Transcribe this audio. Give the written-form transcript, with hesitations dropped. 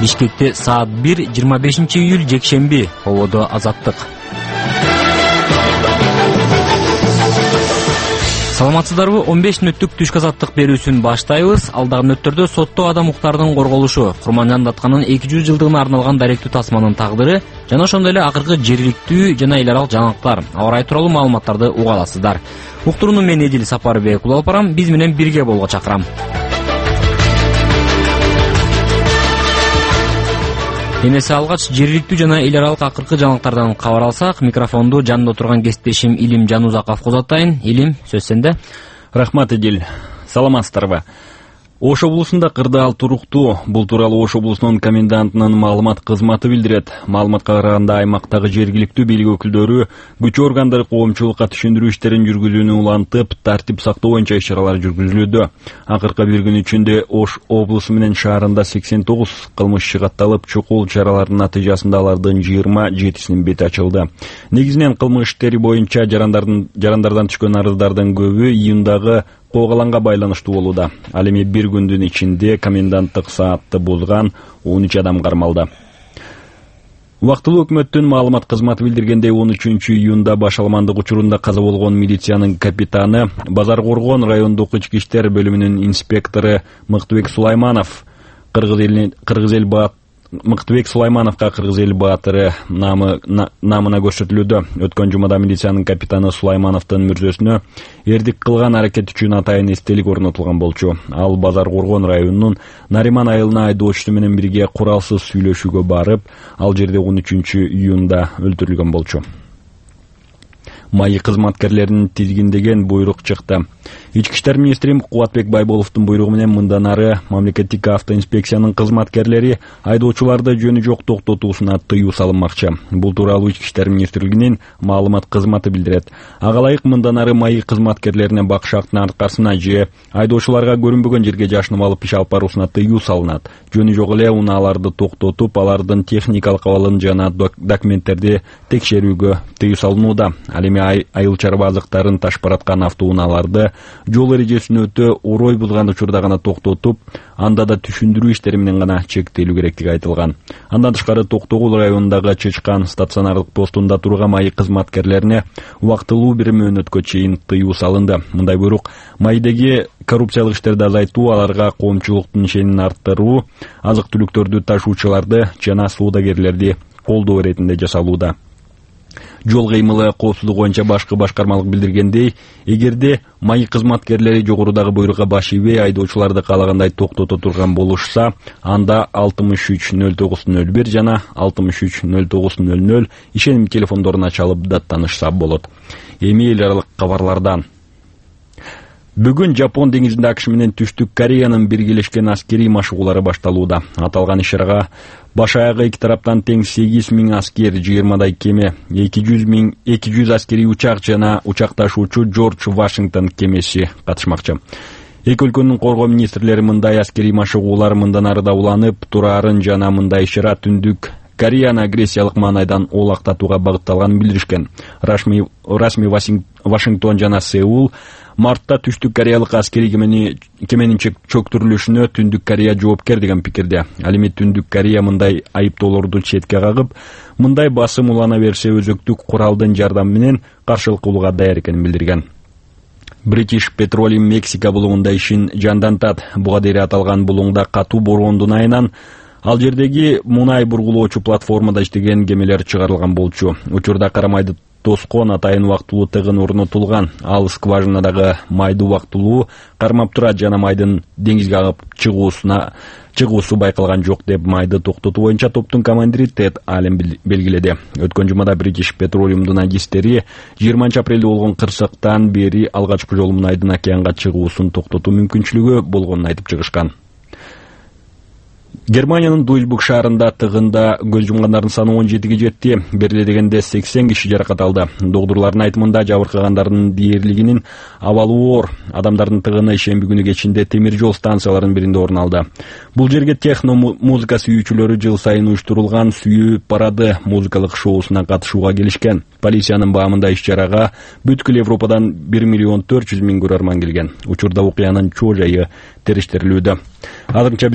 Бишкекте саат 1, 25-июль жекшемби. Ободо Азаттык. Саламатсыздарбы? 15 мүнөттүк түшкү азаттык берүүсүн баштайбыз. Алдагы мүнөттөрдө сотто адам укуктардын корголушу, Курманжан Датканын 200 жылдыгына арналган даректүү тасманын тагдыры жана ошондой эле акыркы жергиликтүү жана эл аралык жаңылыктар, аба ырайы тууралуу маалыматтарды уга аласыздар. Уктурууну мен Эдил Сапарбек улуп алып барам. Биз менен бирге болууга чакырам. Эмесе алгач жергиликтүү жана эл аралык акыркы жаңылыктардан кабар алсак, микрофонду жанында отурган кесиптешим Илим Жанузаков узатайын. Илим, сөз сенде. Рахмат, Эдил. Саламатсыздарбы? Ош облусунда кырдаал туруктуу. Бул тууралуу Ош облусунун комендантынын маалымат кызматы билдирет. Маалыматка караганда аймактагы жергиликтүү бийлик өкүлдөрү күч органдары коомчулукка түшүндүрүү иштерин жүргүзүүнү улантып, тартип сактоо боюнча иш-чаралар жүргүзүлүүдө. Акыркы бир күн ичинде Ош облусу менен шаарында 89 кылмыш катталып, чокул чаралардын натыйжасында алардын 27синин бети ачылды. Негизинен кылмыш иштери боюнча жарандардан түшкөн арыздардын көбү июндагы коогаланга байланыштуу болууда. Ал эми бир күндүн ичинде коменданттык саатты бузган 13 адам кармалды. Убактылуу өкмөттүн маалымат кызматы билдиргендей, 13 июнда башаламандык учурунда каза болгон милициянын капитаны, Базар Коргон райондук ички иштер бөлүмүнүн инспектору Мыктыбек Сулаймановго Кыргыз эл баатыры намына көрсөтүлүүдө. Өткөн жумада милициянын капитаны Сулаймановдун мүрзөсүнө эрдик кылган аракет үчүн атайын эстелик орнотулган болчу. Ал Базар Коргон районунун Нариман айылына айдоочусу менен бирге куралсыз сүйлөшүүгө барып, ал жерде 13 июнда өлтүрүлгөн болчу. Майы кызматкерлерин тизгиндеген буйрук чыкты. Ички иштер министри Кубатбек Байболовдун буйругу менен мындан ары мамлекеттик автоинспекциянын кызматкерлери айдоочуларды жөнү жок токтотуусуна тыюу салынмакчы. Бул тууралуу Ички иштер министрлигинин маалымат кызматы билдирет. Ага ылайык мындан ары майы кызматкерлерине бакшактын аркасына же айдоочуларга көрүнбөгөн жерге жашынып алып иш алып баруусуна тыюу салынат. Жөнү жок эле унааларды токтотуп, алардын техникалык абалын жана документтерди текшерүүгө тыюу салынууда. Ал эми айыл чарба азыктарын ташпараткан автоунааларды жол эрежесин өтө орой бузган учурда гана токтотуп, анда да түшүндүрүү иштери менен гана чектелүү керектиги айтылган. Андан тышкары Токтогул районундагы Чычкан стационардык постунда турган майы кызматкерлерине убактылуу бир мөөнөткө чейин тыюу салынды. Мындай буйрук майдеги коррупциялык иштерди азайтуу, аларга коомчулуктун ишенимин арттыруу, азык-түлүктөрдү ташуучуларды жана соодагерлерди колдоо иретинде жасалууда. Жол кыймылы коопсуздугу боюнча башкы башкармалык билдиргендей, эгерде майы кызматкерлери жогорудагы буйрукка баш ийбей айдоочуларды каалагандай токтото турган болушса, анда 630901 жана 630900 ишеним телефондоруна чалып даттанышса болот. Эми эл аралык кабарлардан. Бүгүн Жапон деңизинде АКШ менен Түштүк Кореянын биргелешкен аскерий машыгуулары башталууда. Аталган иш-чарага баш аягы эки тараптан тең 8000 аскер, 20дай кеме, 200 аскерий учак жана учак ташуучу Джордж Вашингтон кемеси катышмакчы. Эки өлкөнүн коргоо министрлери мындай аскерий машыгуулар мындан ары да уланып турарын жана мындай иш-чара Түндүк Кореяны агрессиялык маанайдан оолактатууга багытталганын билдиришкен. Расмий Вашингтон жана Сеул мартта Түштүк Кореялык аскерий кеменин чөктүрүлүшүнө Түндүк Корея жоопкер деген пикирде. Ал эми Түндүк Корея мындай айыптоолорду четке кагып, мындай басым улана берсе өзөктүк куралдын жардамы менен каршылык кылууга даяр экенин билдирген. British Petroleum Мексика булугунда ишин жандантат. Буга дейин аталган булугунда катуу бороондун айынан ал жердеги мунай бургулоочу платформада иштеген кемелер чыгарылган болчу. Учурда карамайды тоскон атайын убактылуу тыгын орнотулган. Ал скважинадагы майды убактылуу кармап турат жана майдын деңизге агып чыгуусу байкалган жок деп майды токтотуу боюнча топтун командири Тед Аллен белгиледи. Өткөн жумада British Petroleum'дун агистери 20 апрелде болгон кырсыктан бери алгачкы жолу мунайдын океанга чыгуусун токтотуу мүмкүнчүлүгү болгонун айтып чыгышкан. Германиянын Дуйсбург шаарында тыгында көз жумгандардын саны 17ге жетти. Бериле дегенде 80 киши жаракат алды. Доктурлардын айтымында жабыркагандардын дээрлигинин абалы оор. Адамдардын тыгыны шемби күнү кечинде темир жол станцияларынын биринде орун алды. Бул жерге техно музыка сүйүүчүлөрү жыл сайын уюштурулган сүйүү парады музыкалык шоусуна катышууга келишкен. Полициянын баамында иш-чарага бүткүл Европадан 1 400 000 көрөрман келген. Учурда окуянын чоо жайы териштирилүүдө. Азырынча